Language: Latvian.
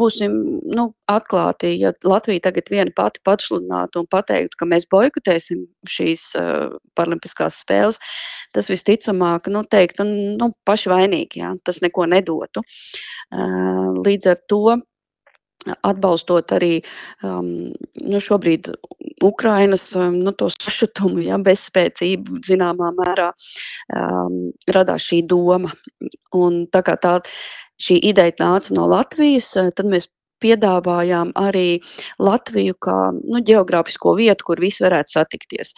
būsim, atklāti, ja Latvija tagad viena pati pašsludinātu un pateiktu, ka mēs boikotēsim šīs, paralimpiskās spēles, tas visticamāk, teiktu, paši vainīgi, jā, tas neko nedotu. Līdz ar to atbalstot arī, šobrīd Ukrainas, to sašutumu, ja, bezspēcību zināmā mērā, radās šī doma. Un tā kā šī ideja nāca no Latvijas, tad mēs piedāvājām arī Latviju kā, geogrāfisko vietu, kur visi varētu satikties.